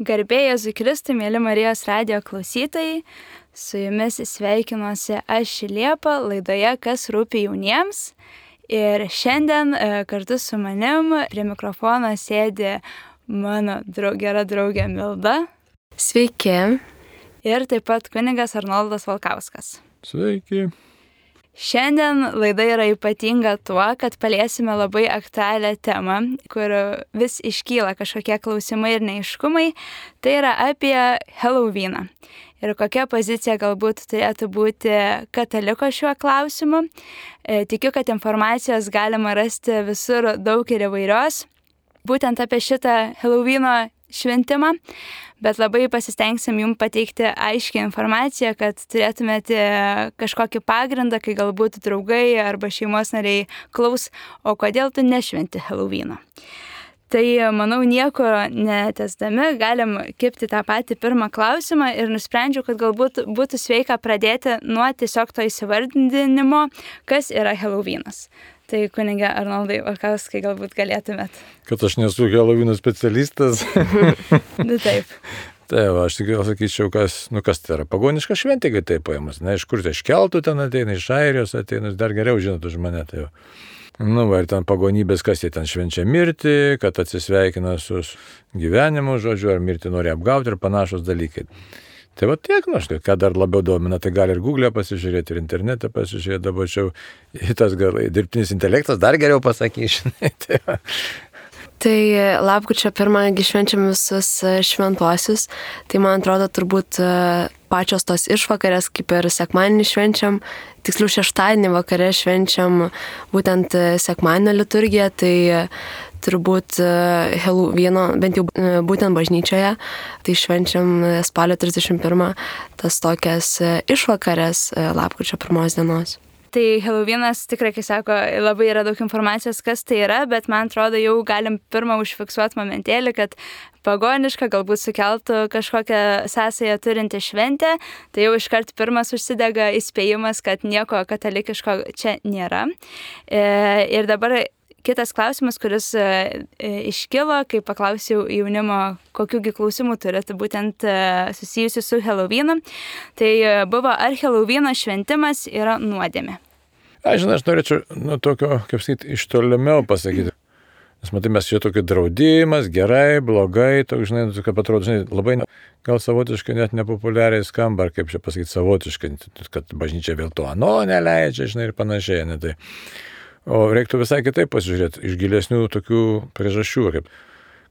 Garbė Jėzui Kristui, mėly Marijos radijo klausytojai, su jumis sveikinuosi aš Liepa laidoje Kas rūpi jauniems. Ir šiandien kartu su manim prie mikrofono sėdi mano gera draugė Milda. Sveiki. Ir taip pat kunigas Arnoldas Valkauskas. Sveiki. Šiandien laida yra ypatinga tuo, kad paliesime labai aktualią temą, kur vis iškyla kažkokie klausimai ir neaiškumai. Tai yra apie Halloweeną. Ir kokia pozicija galbūt turėtų būti kataliko šiuo klausimu. Tikiu, kad informacijos galima rasti visur daug ir įvairios. Būtent apie šitą Halloweeno šventimą. Bet labai pasistengsim jums pateikti aiškią informaciją, kad turėtumėte kažkokį pagrindą, kai galbūt draugai arba šeimos nariai klaus, o kodėl tu nešventi Halloweeno. Tai, manau, nieko netęsdami galim kibti tą patį pirmą klausimą ir nusprendžiau, kad galbūt būtų sveika pradėti nuo tiesiog to įsivardinimo, kas yra Halloweenas. Tai kunige Arnoldai Valkauskai galbūt galėtumėt. Kad aš nesu Halloweeno specialistas. Taip. Tai aš tik sakyčiau, kas tai yra pagoniška šventė, kai tai paėmus. Na, iš kur tai iš keltų ten ateina, iš Airijos ateina, dar geriau žinot už mane. Tai ir ten pagonybės, kas jie ten švenčia mirtį, kad atsisveikina su gyvenimu, žodžiu, ar mirtį nori apgauti ir panašus dalykai. Tai va tiek, ką dar labiau domina, tai gali ir Google'e pasižiūrėti, ir internete pasižiūrėti, dabar čia tas dirbtinis intelektas dar geriau pasakys, žinai. Tai lapkričio 1 švenčiam visus šventuosius, tai man atrodo turbūt pačios tos išvakarės, kaip ir sekmadienį švenčiam, tiksliau šeštadienį vakare švenčiam būtent sekmadienio liturgiją, tai turbūt Halloweeno, bent jau būtent bažnyčioje, tai švenčiam spalio 31 tas tokias išvakarės lapkričio 1 dienos. Tai Halloweenas tikrai, kai sako, labai yra daug informacijos, kas tai yra, bet man atrodo, jau galim pirmą užfiksuoti momentėlį, kad pagoniška galbūt sukeltų kažkokią sąsają turinti šventę, tai jau iškart pirmas užsidega įspėjimas, kad nieko katalikiško čia nėra. Ir dabar kitas klausimas, kuris iškilo, kai paklausiau jaunimo, kokiųgi klausimų turėtų būtent susijusių su Halloweenu, tai buvo, ar Halloweeno šventimas yra nuodėmė. Aš norėčiau tokio, kaip sakyti, iš tolimiau pasakyti. Nes matai, mes čia tokį draudimas, gerai, blogai, toks, kad atrodo, labai gal savotiškai net nepopuliariai skamba, ar kaip čia pasakyti, savotiškai, kad bažnyčia vėl to neleidžia, ir panašiai. Tai. O reiktų visai kitaip pasižiūrėti, iš gilesnių tokių priežasčių, kaip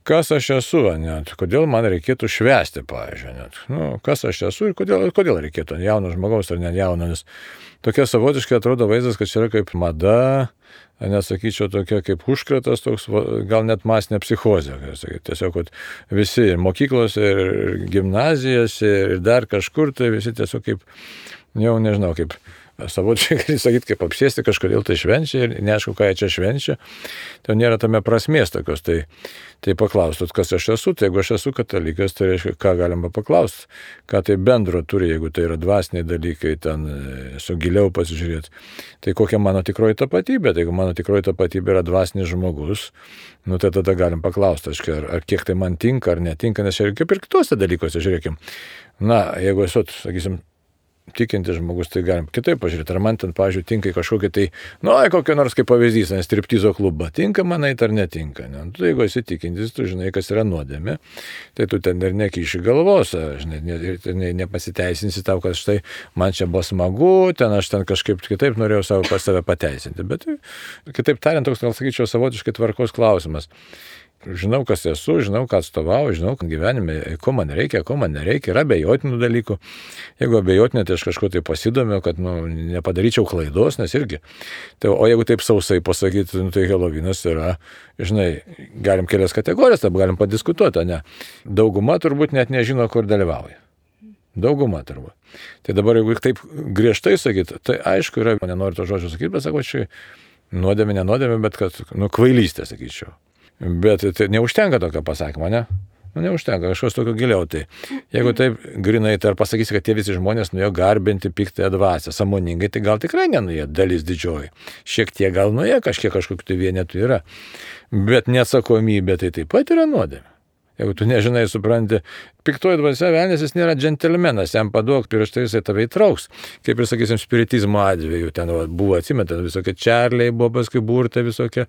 kas aš esu, kodėl man reikėtų švęsti, pavyzdžiui, kas aš esu ir kodėl reikėtų, jauno žmogaus ar ne jauno, nes tokia savotiškai atrodo vaizdas, kad čia yra kaip mada, nesakyčiau tokia kaip užkratas, toks, gal net masinė psichozė, tiesiog, kad visi ir mokyklose, ir gimnazijose, ir dar kažkur, tai visi tiesiog kaip, jau nežinau, kaip savotiškai, gali sakyti, kaip apsėsti kažkodėl tai švenčia ir neaišku, ką jie čia švenčia, tai nėra tame prasmės tokios, tai paklaustot, kas aš esu, tai jeigu aš esu katalikas, tai reiškia, ką galima paklausti, ką tai bendro turi, jeigu tai yra dvasiniai dalykai, ten su giliau pasižiūrėti, tai kokia mano tikroji tapatybė, tai jeigu mano tikroji tapatybė yra dvasinis žmogus, tai tada galim paklausti, ar kiek tai man tinka ar netinka, nes ir kaip ir kitose dalykuose, žiūrėkim, jeigu esu, sakysim, tikintis žmogus, tai galim kitaip pažiūrėti. Ar man ten, pavyzdžiui, tinka kažkokia tai, kokio nors kaip pavyzdys, striptizo klubą, tinka man eit ar netinka. Tai jeigu esi tikintis, tu žinai, kas yra nuodėmė, tai tu ten ir nekiši galvos, nepasiteisinsi tau, kad štai man čia buvo smagu, ten aš ten kažkaip kitaip norėjau save pateisinti. Bet kitaip tariant, toks, gal sakyčiau, savotiškai tvarkos klausimas. Žinau, kas esu, žinau, ką atstovauju, žinau, kad gyvenime, ko man nereikia, yra abejotinų dalykų. Jeigu abejotinė, tai aš kažko tai pasidomiu, kad nepadaryčiau klaidos, nes irgi. Tai, o jeigu taip sausai pasakyti, tai Halloweenas yra, galim kelias kategorijas, taip galim padiskutuoti, ne? Dauguma turbūt net nežino, kur dalyvauja. Dauguma turbūt. Tai dabar, jeigu taip griežtai sakyti, tai aišku yra, nenoriu to žodžio sakyti, bet sakau, čia nenodėmė, bet kad, kvailystė, sakyčiau. Bet tai neužtenka tokio pasakymo, ne? Neužtenka, kažkas tokio giliau. Tai jeigu taip grinai, tai ar pasakysi, kad tie visi žmonės nuėjo garbinti piktąją dvasią, sąmoningai, tai gal tikrai nenuėjo, dalis didžioji. Šiek tiek gal nuėjo, kažkokių tai vienetų yra. Bet neatsakomybė tai taip pat yra nuodėmė. Jeigu tu nežinai, supranti, piktoji dvasia velnės, jis nėra džentelmenas, jam paduok pirštai, jisai tave įtrauks. Kaip ir, sakysim, spiritizmo atveju, ten buvo, atsimetę, visokie čarliai buvo, paskui burtai visokie.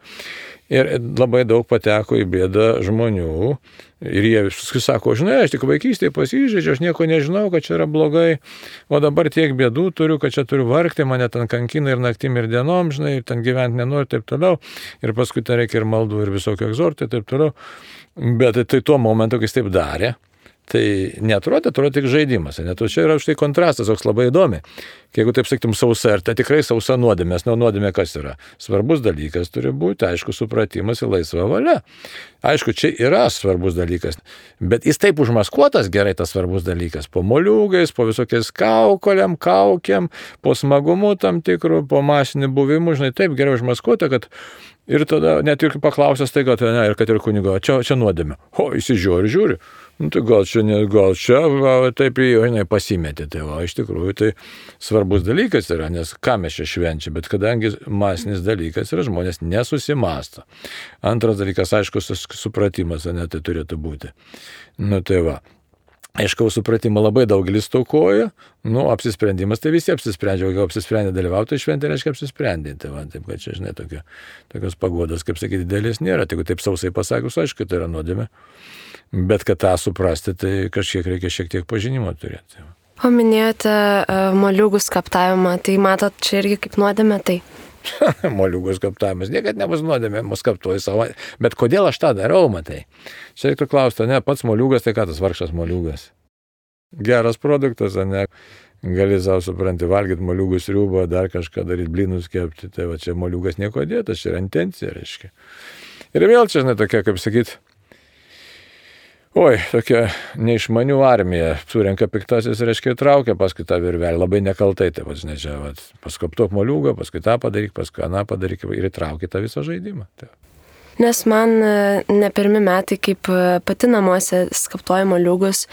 Ir labai daug pateko į bėdą žmonių. Ir jie viskai sako, žinai, aš tik vaikystėje pasižaidžiu, aš nieko nežinau, kad čia yra blogai, o dabar tiek bėdų turiu, kad čia turiu vargti, mane ten kankina ir naktim, ir dienom, žinai, ir ten gyventi nenori, taip toliau. Ir paskui ten reikia ir maldų, ir visokio egzortų, taip toliau. Bet tai tuo momentu, kai jis taip darė, tai neatrodė tik žaidimas. Net čia yra štai kontrastas, toks labai įdomi. Jeigu taip sakytum sausa, ir tai tikrai sausa nuodėmė, nes nuodėmė kas yra? Svarbus dalykas turi būti, aišku, supratimas ir laisva valia. Aišku, čia yra svarbus dalykas, bet jis taip užmaskuotas gerai tas svarbus dalykas. Po moliūgais, po visokiais kaukoliam, kaukiam, po smagumu tam tikrų, po masinių buvimų, žinai, taip gerai užmaskuota, kad ir tada net ir paklausęs tai, kad ne, ir kad ir kunigo, čia nuodėmė. O, įsižiūri. Nu, tai gal čia, taip jau pasimetė. Tai va, iš tikrųjų, tai svarbus dalykas yra, nes ką mes čia švenčiame, bet kadangi masinis dalykas yra, žmonės nesusimąsto. Antras dalykas, aišku, supratimas, ne, tai turėtų būti. Nu, tai va. Aišku, supratimo labai daugelis stokoja, apsisprendimas, tai visi apsisprendžia, jeigu apsisprendė dalyvauti, tai šventė reiškia apsisprendė. Tai va, taip, kad čia, žinai, tokios pagodos, kaip sakyti, didelės nėra. Tai jeigu taip sausai pasakius, aišku, tai yra nuodėmė. Bet kad tą suprasti, tai kažkiek reikia šiek tiek pažinimo turėti. Paminėjote moliūgų skaptavimą, tai matot, čia irgi kaip nuodėmė tai. Moliūgų skaptavimas niekad nebus nuodėmė, mus skaptuoju savo. Bet kodėl aš tą darau, matai? Čia reiktų klausti, ne, pats moliūgas, tai ką tas vargšas moliūgas? Geras produktas, ne? Gali savo, supranti, valgyti moliūgų sriubą, dar kažką daryti, blynus kepti. Tai va, čia moliūgas nieko dėtas, čia yra intencija, reiškia. Ir vėl čia, žinai, tokia, kaip sakyti, tokia neišmanių armija, surenka piktasis, reiškia, įtraukia paskui tą virvelę, labai nekaltai, tai žinai, čia, paskoptok moliūgą, paskui tą padaryk, paskui aną padaryk ir įtraukia tą visą žaidimą. Tai. Nes man ne pirmi metai, kaip pati namuose skaptuoju moliūgus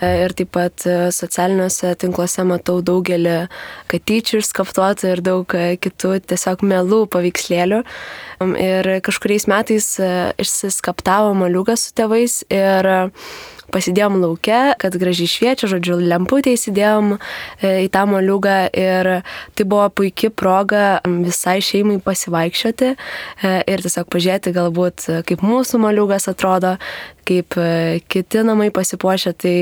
ir taip pat socialiniuose tinkluose matau daugelį katyčių skaptuotų ir daug kitų tiesiog melų paveikslėlių. Ir kažkuriais metais išsiskaptavo moliūgas su tėvais ir pasidėjom lauke, kad gražiai šviečia, žodžiu, lemputę įsidėjom į tą moliūgą ir tai buvo puikia proga visai šeimai pasivaikščioti ir tiesiog pažiūrėti galbūt, kaip mūsų moliūgas atrodo, kaip kiti namai pasipuošia, tai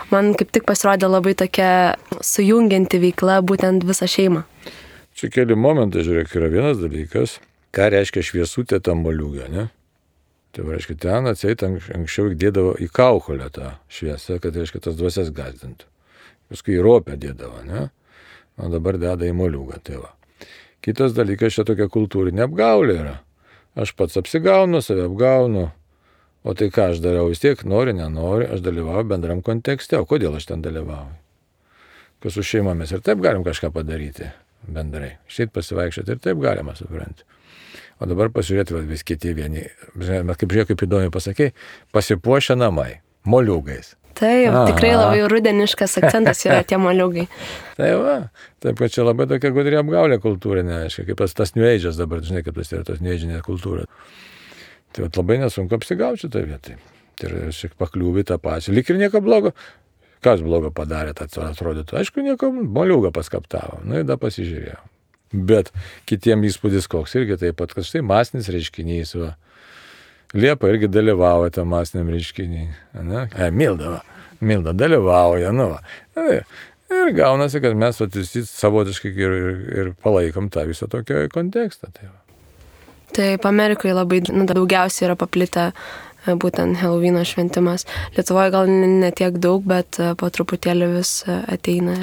man kaip tik pasirodė labai tokia sujungianti veikla būtent visą šeimą. Čia keli momentai, žiūrėk, yra vienas dalykas, ką reiškia šviesutė tam moliūgą, ne? Tai reiškia, ten atseit anksčiau dėdavo į kaukolę tą šviesą, kad reiškia tas dvasias gazdintų. Paskui į ropę dėdavo, ne? O dabar deda į moliūgą, tai va. Kitas dalykas, čia tokia kultūrinė apgaulė yra. Aš pats apsigaunu, save apgaunu. O tai ką aš dariau, vis tiek nori, nenori, aš dalyvauju bendram kontekste. O kodėl aš ten dalyvauju? Kad su šeimomis ir taip galim kažką padaryti bendrai. Šeit pasivaikščioti ir taip galima, supranti. O dabar pasižiūrėti vis kiti vieni, kaip įdomiai pasakei, pasipuošia namai, moliūgais. Taip, tikrai labai rudeniškas akcentas yra tie moliūgai. Tai va, taip, kad čia labai tokia gudri apgaulė kultūrinė, aiškiai, kaip tas New Age'as dabar, žinai, kaip tas yra tos New Age'inė kultūra. Tai va, labai nesunku apsigauti šitą vietą. Tai yra šiek pakliūvi tą pačią. Lyg ir nieko blogo. Kas blogo padarė, tai atrodytų. Aišku, nieko, moliūgą paskaptavo. Nu, ir da pasižiūrėjau. Bet kitiem įspūdis koks irgi taip pat, kad štai masinis reiškinys, va. Liepa irgi dalyvauja tam masiniam reiškiniui. Milda dalyvauja, nu va. Ir gaunasi, kad mes visi savotiškai ir palaikom tą visą tokią kontekstą. Tai va. Taip, Amerikoje labai daugiausiai yra paplitę būtent Helovyno šventimas. Lietuvoje gal ne tiek daug, bet po truputėlį vis ateina.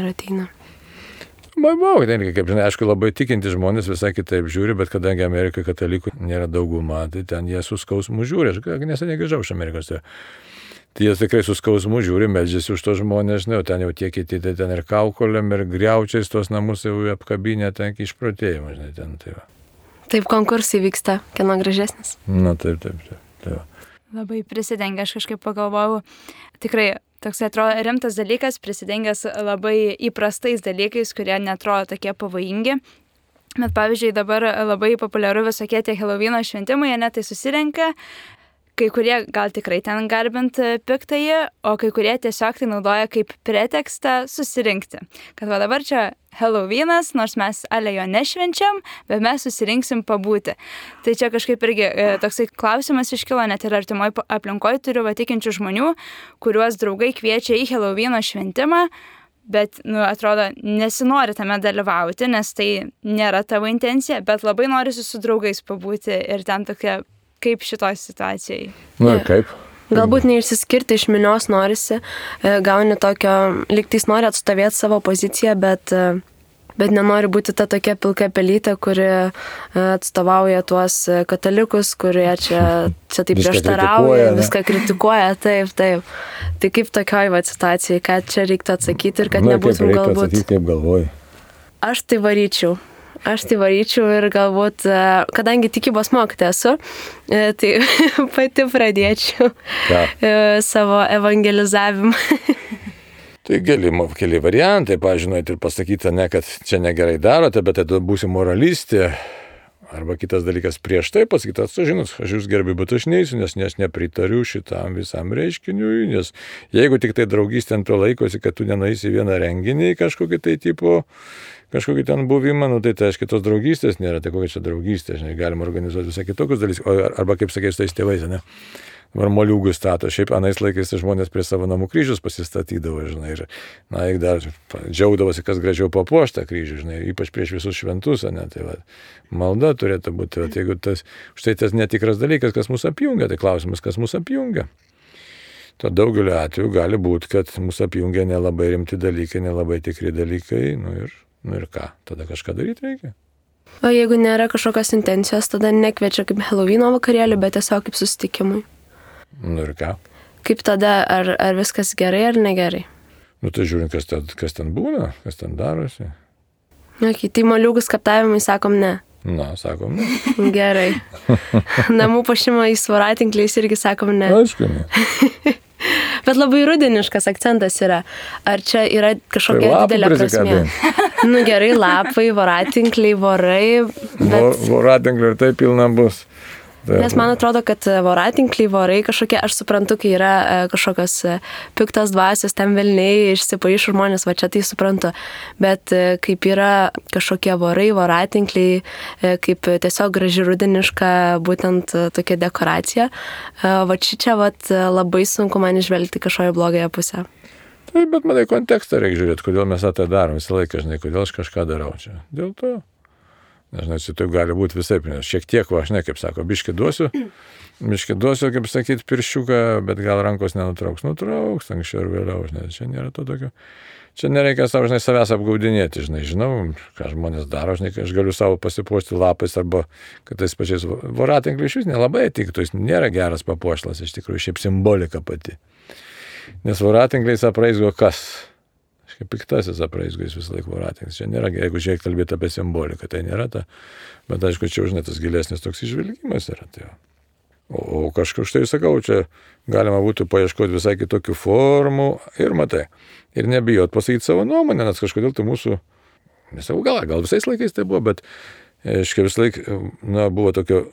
Tai kaip žinai, aišku, labai tikinti žmonės visai kitaip žiūri, bet kadangi Amerikoje katalikų nėra dauguma, tai ten jie su skausmu žiūri. Aš neseniai grįžau iš Amerikos. Tai jie tikrai su skausmu žiūri, meldžiasi už tos žmonės, o ten jau tie kiti, tai ten ir kaukolėm, ir griaučiais tos namus jau apkabinę, ten išprotėjimą, žinai, ten tai va. Taip, konkursai vyksta, kieno gražesnis. Na, taip. Tai va. Labai prisidengia, aš kažkaip pagalvojau, tikrai toks atrodo rimtas dalykas, prisidengęs labai įprastais dalykais, kurie netrodo tokie pavojingi. Bet pavyzdžiui, dabar labai populiaru visokie tie Helovyno šventimai, tai susirenka kai kurie gal tikrai ten garbint piktąjį, o kai kurie tiesiog tai naudoja kaip pretekstą susirinkti. Kad va dabar čia Halloweenas, nors mes ale jo nešvenčiam, bet mes susirinksim pabūti. Tai čia kažkaip irgi toksai klausimas iškilo, net ir artimoj aplinkoje turiu tikinčių žmonių, kuriuos draugai kviečia į Halloweeno šventimą, bet, atrodo, nesinori tame dalyvauti, nes tai nėra tavo intencija, bet labai norisi su draugais pabūti ir ten tokia, kaip šitoj situacijai. Ir kaip? Galbūt neišsiskirti iš minios norisi, gauni tokio, lygtais nori atstovėti savo poziciją, bet nenori būti ta tokia pilka pelytė, kuri atstovauja tuos katalikus, kurie čia taip prieštarauja, viską kritikuoja, taip. Tai kaip tokioj situacijai, ką čia reiktų atsakyti ir kad nebūtum galbūt... Atsakyti, kaip galvoji? Aš tai varyčiau ir galbūt, kadangi tikybos mokytoja esu, tai pati pradėčiau savo evangelizavimą. Tai keli variantai, pažinojate ir pasakyti, ne, kad čia negerai darote, bet tada būsi moralistė. Arba kitas dalykas prieš tai pasakyti, žinot, aš jūs gerbiu, bet aš neįsiu, nes nepritariu šitam visam reiškiniui, nes jeigu tik tai draugystė ant to laikosi, kad tu nenueisi vieną renginį kažkokį tai tipo, kažkokį ten buvimą, tai aiškiai tos draugystės nėra, tai kokia čia draugystė, žinai, galima organizuoti visą kitokius dalykus, arba kaip sakė, su tais tėvais, ne? Ar moliūgus stato, šiaip anais laikais žmonės prie savo namų kryžius pasistatydavo, žinai, ir, jeigu dar džiaugdavosi, kas gražiau papuoštą kryžių, žinai, ypač prieš visus šventus, ne, tai malda turėtų būti, jeigu štai tas netikras dalykas, kas mus apjungia, tai klausimas, kas mus apjungia. To daugeliu atveju gali būti, kad mus apjungia nelabai rimti dalykai, nelabai tikri dalykai, ir ką, tada kažką daryti reikia. O jeigu nėra kažkokios intencijos, tada nekviečia kaip Halloweeno vakarėlį, bet tiesiog kaip susitikimui. Ir ką? Kaip tada, ar viskas gerai ar negerai? Tai žiūrint, kas ten būna, kas ten darosi. Tai moliūgus kaptavimai sakom ne. Sakom ne. Gerai. Namų puošimo į voratinkliais irgi sakom ne. Aišku, ne. Bet labai rudeniškas akcentas yra. Ar čia yra kažkokia didelė prasmė? Gerai, lapai, voratinkliai, vorai. Bet... Voratinkliai ir tai pilna bus. Nes man atrodo, kad voratinkliai, vorai kažkokie, aš suprantu, kai yra kažkokios piktos dvasios, ten velniai išsipaišų žmonės, va čia tai suprantu. Bet kaip yra kažkokie vorai, voratinkliai, kaip tiesiog graži rudeniška būtent tokia dekoracija, va čia labai sunku man išvelgti kažkoje blogąją pusę. Taip, bet matai, kontekstą reikia žiūrėti, kodėl mes tą darom visą laiką, žinai, kodėl aš kažką darau čia. Dėl to. Nežinau, taip gali būti visai, šiek tiek, žinai, kaip sako, biškį duosiu, kaip sakyti, pirščiuką, bet gal rankos nutrauks, anksčiau ir vėliau, žinai, čia nėra to tokio. Čia nereikia savo, žinai, savęs apgaudinėti, žinau, ką žmonės daro, žinai, aš galiu savo pasipuošti lapais arba, kad tais pačiais voratinkliais iš vis nelabai tiktų, jis nėra geras papuošlas, iš tikrųjų, šiaip simbolika pati. Nes voratinkliais apraizgo kas? Kaip piktasis apraizgais visą laiką voratinklis. Čia nėra, jeigu žiūrėk kalbėti apie simboliką, tai nėra ta, bet aišku, čia žinai, tas gilesnis toks išvilgimas yra. Tai. O kažkaip štai sakau, čia galima būtų paieškoti visai kitokių formų ir matai. Ir nebijot pasakyti savo nuomonę, nes kažkodėl tai mūsų, nesau, gal visais laikais tai buvo, bet aiškiai visą laiką buvo tokio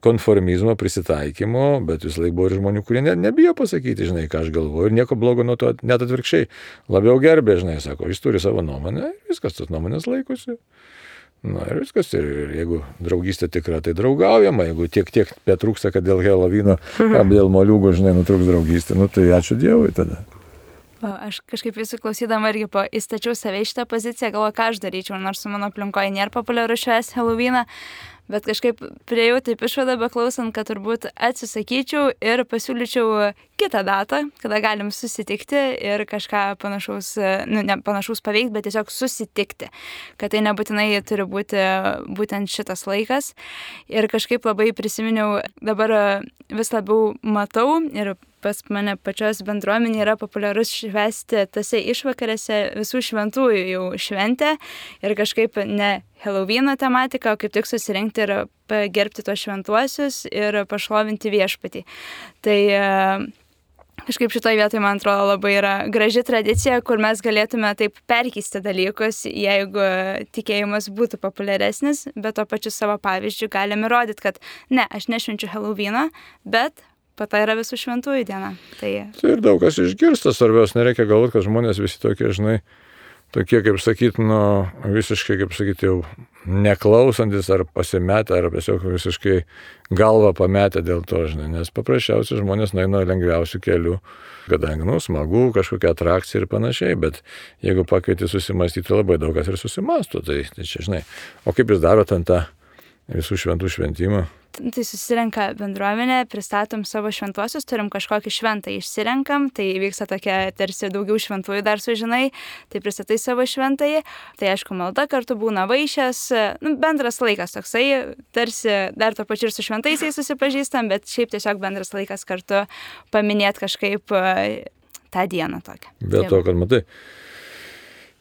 konformizmo, prisitaikymo, bet vis laik buvo ir žmonių, kurie nebijo pasakyti, žinai, ką aš galvoju, ir nieko blogo nuo to, net atvirkščiai, labiau gerbė, žinai, sako, jis turi savo nuomonę, viskas tos nuomonės laikosi. Ir viskas, ir jeigu draugystė tikra, tai draugaujama, jeigu tiek betrūksta, kad dėl Halloweeno, dėl moliūgų, žinai, nutrūks draugystė, tai ačiū Dievui tada. Aš kažkaip visų klausydama irgi įstačiau save į šitą poziciją, galvoju, ką aš daryčiau, nors mano aplinkoje nėra populiaru švęsti Halloweeną. Bet kažkaip priejau taip išvadą, beklausant, kad turbūt atsisakyčiau ir pasiūlyčiau kitą datą, kada galim susitikti ir kažką panašaus, ne panašaus paveikti, bet tiesiog susitikti. Kad tai nebūtinai turi būti būtent šitas laikas. Ir kažkaip labai prisiminiau, dabar vis labiau matau ir pas mane pačios bendruomenė yra populiarus švęsti tose išvakarėse visų šventųjų jau šventę ir kažkaip ne Halloweeno tematika, o kaip tik susirinkti ir pagerbti tos šventuosius ir pašlovinti viešpatį. Tai kažkaip šitoje vietoje, man atrodo, labai yra graži tradicija, kur mes galėtume taip perkeisti dalykus, jeigu tikėjimas būtų populiaresnis, bet to pačiu savo pavyzdžiu galime įrodyti, kad ne, aš nešvenčiu Halloweeno, bet po to yra visų šventųjų diena. Tai ir daug kas išgirsta, svarbiausia, nereikia galvoti, kad žmonės visi tokie, žinai, tokie, kaip sakyti, visiškai, kaip sakyti, jau neklausantis ar pasimetę, ar tiesiog visiškai galvą pametę dėl to, žinai, nes paprasčiausiai žmonės nueina lengviausių kelių, kadangi, smagu, kažkokia atrakcija ir panašiai, bet jeigu pakvieti susimastyti, labai daug kas ir susimasto, tai čia, žinai, o kaip jūs darote ant tą visų šventų šventimą? Tai susirenka bendruomenė, pristatom savo šventuosius, turim kažkokį šventą išsirenkam, tai vyksta tokia tarsi daugiau šventųjų dar sužinai, tai pristatai savo šventąjį, tai aišku malda kartu būna vaišės, bendras laikas toksai, tarsi dar to pačiu ir su šventaisiais susipažįstam, bet šiaip tiesiog bendras laikas kartu paminėti kažkaip tą dieną tokią. Bet to, kad matai,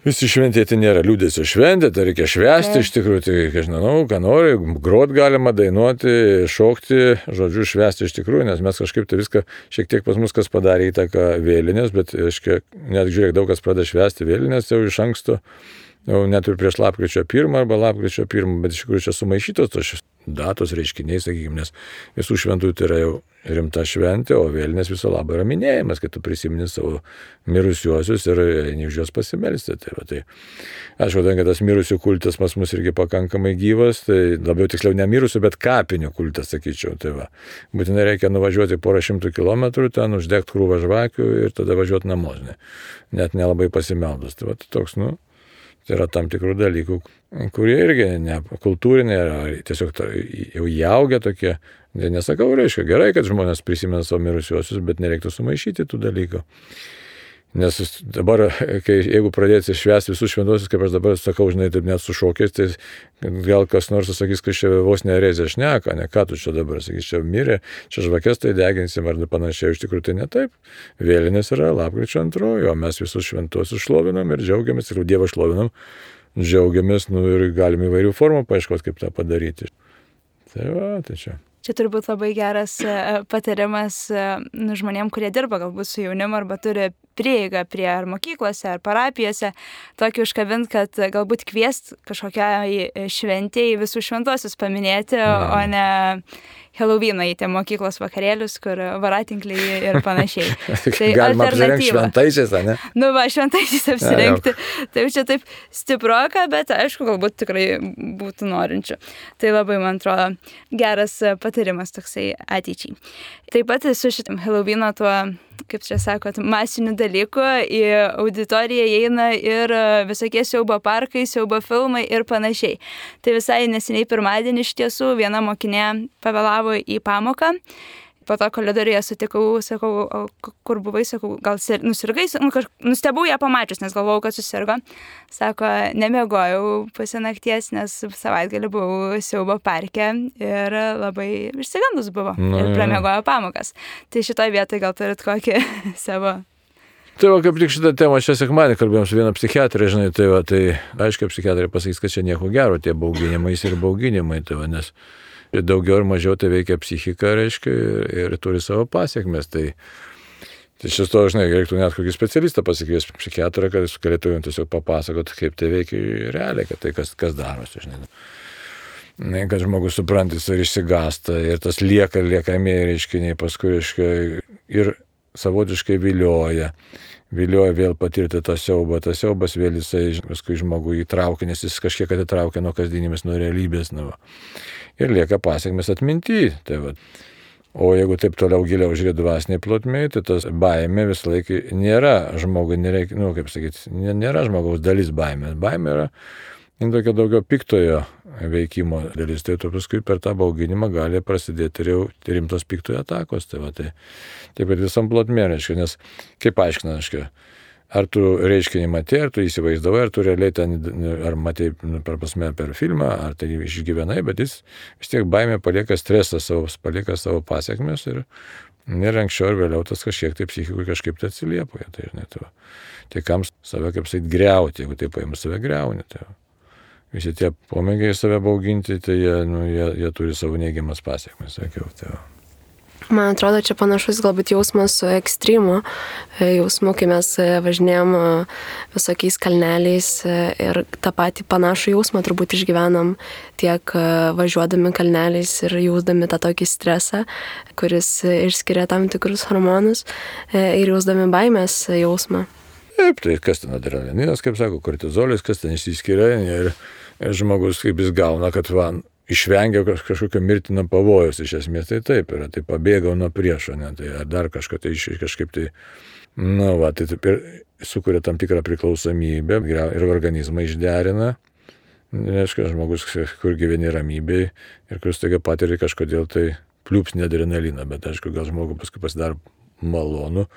visi šventėti nėra liūdėsio šventė, tai reikia švęsti iš tikrųjų, tai, žinau, ką nori, grot galima, dainuoti, šokti, žodžiu, švęsti iš tikrųjų, nes mes kažkaip tai viską šiek tiek pas mus kas padarė įtaką vėlinės, bet, net žiūrėk, daug kas pradeda švęsti vėlinės jau iš anksto, jau net ir prieš lapkričio 1 arba lapkričio 1, bet iš tikrųjų čia sumaišytos tos datos reiškiniai, sakykime, nes visų šventųjų tai yra jau rimta šventė, o vėlinės viso labo yra minėjimas, kad tu prisimeni savo mirusiuosius ir eini už juos pasimelsti. Tai aišku, kad tas mirusių kultas pas mus irgi pakankamai gyvas, tai labiau tiksliau ne mirusių, bet kapinių kultas, sakyčiau. Tai va, būtinai reikia nuvažiuoti porą šimtų kilometrų, ten uždegti krūvą žvakių ir tada važiuoti namo, net nelabai pasimeldus. Tai va, toks, tai yra tam tikrų dalykų, kurie irgi ne kultūriniai, ar tiesiog jau įaugę tokie. Tai nesakau, reiškia, gerai, kad žmonės prisimena savo mirusiuosius, bet nereiktų sumaišyti tų dalykų. Nes dabar, jeigu pradėti švęsti visus šventuosius, kaip aš dabar sakau, žinai, taip net su šokiais, tai gal kas nors sakys, kad čia vos nerezė šneka, ne ką tu čia dabar, sakys, čia mirė, čia žvakės tai deginsim ar panašiai, iš tikrųjų tai ne taip. Vėlinės yra lapkričio 2, o mes visus šventuosius šlovinam ir džiaugiamės, ir Dievą šlovinam, džiaugiamės, ir galim įvairių formų paieškoti, kaip tą padaryti. Tai va, tai čia. Čia turbūt labai geras patarimas žmonėm, kurie dirba galbūt su jaunimu arba turi prieigą prie ar mokyklose, ar parapijose, tokį užkabint, kad galbūt kviest kažkokiai šventėjai visų šventuosius paminėti, o ne Helovyną į tie mokyklos vakarėlius, kur varatinkliai ir panašiai. Tai galima apsirengti šventaisiais, ne? Šventaisiais apsirengti. Tai čia taip stiproka, bet aišku, galbūt tikrai būtų norinčių. Tai labai, man atrodo, geras patarimas toksai ateičiai. Taip pat su šitam Helovyno tuo, kaip čia sakot, masinių dalykų į auditoriją įeina ir visokie siaubo parkai, siaubo filmai ir panašiai. Tai visai neseniai pirmadienį iš tiesų viena mokinė pavėlavo į pamoką. Po to koridoriuje sutikau, sakau, kur buvai, sakau, gal nusirgai, nustebau ją pamačius, nes galvojau, kad susirgo. Sako, nemiegojau pusę nakties, nes savaitgalį buvau siaubo parke ir labai išsigandus buvo ir pramiegojo pamokas. Tai šitoj vietoj gal turit kokį savo... Tai va, kaip tik šitą temą šią sekmadienį kalbėjom su viena psichiatrė, žinai, tai va, tai aiškiai psichiatrė pasakys, kad čia nieko gero, tie bauginimai ir bauginimai, tai va, nes daugiau ir mažiau tai veikia psichiką, reiškia, ir turi savo pasiekmes. Tai šis to, žinai, reiktų net kokį specialistą pasikvies psichiatrą, kad jis galėtų jums tiesiog papasakoti, kaip tai veikia realiai, kad tai kas darosi, žinai. Kad žmogus suprantis ir išsigąsta, ir tas liekamieji reiškiniai paskui, reiškia, ir savotiškai vilioja vėl patirti tą siaubą. Tas siaubas vėl jisai paskui žmogų įtraukia, nes jis kažkiek atitraukia nuo kasdienybės, nuo realybės. Ir lieka pasiekmes atminty. Tai va. O jeigu taip toliau giliau žiūrėti dvasiniai plotmėj, tai tas baimė visą laiką nėra žmogui, nėra žmogaus dalis baimės. Baimė yra tokia daugiau piktojo veikimo dalis. Tai tu paskui per tą bauginimą gali prasidėti ir jau rimtos piktojo atakos. Tai va, taip pat visam plotmė, reiškia, nes kaip aiškina, reiškia, ar tu reiškinį matė, ar tu įsivaizdavai, ar tu realiai ten, ar matė per filmą, ar tai išgyvenai, bet jis vis tiek baimė palieka stresą, palieka savo pasiekmes ir anksčiau ir vėliau tas kažkiek tai psichikui kažkaip tai atsiliepoja. Tai, žinai, tai kam save, kaip sakyt, griauti, jeigu taip paėmus save griauni. Tai visi tie pomėgiai save bauginti, tai jie turi savo neigiamas pasiekmes, sakiau. Tai Man atrodo, čia panašus galbūt jausmas su ekstrymu jausmu, kai mes važinėjom visokiais kalneliais ir tą patį panašų jausmą turbūt išgyvenam tiek važiuodami kalneliais ir jausdami tą tokį stresą, kuris išskiria tam tikrus hormonus ir jausdami baimės jausmą. Taip, tai kas ten adrenalinas, kaip sako, kortizolis, kas ten išsiskiria ir žmogus, kaip jis gauna, kad išvengia kažkokio mirtino pavojus, iš esmės tai taip yra, tai pabėgau nuo priešo, ne, tai ar dar kažko, tai kažkaip tai, tai taip ir sukuria tam tikrą priklausomybę ir organizmą išderina, reiškia, žmogus, kur gyveni ramybėj ir kur staiga patiria kažkodėl tai pliūpsnį adrenaliną, bet aišku, gal žmogui paskui pasidaro malonu,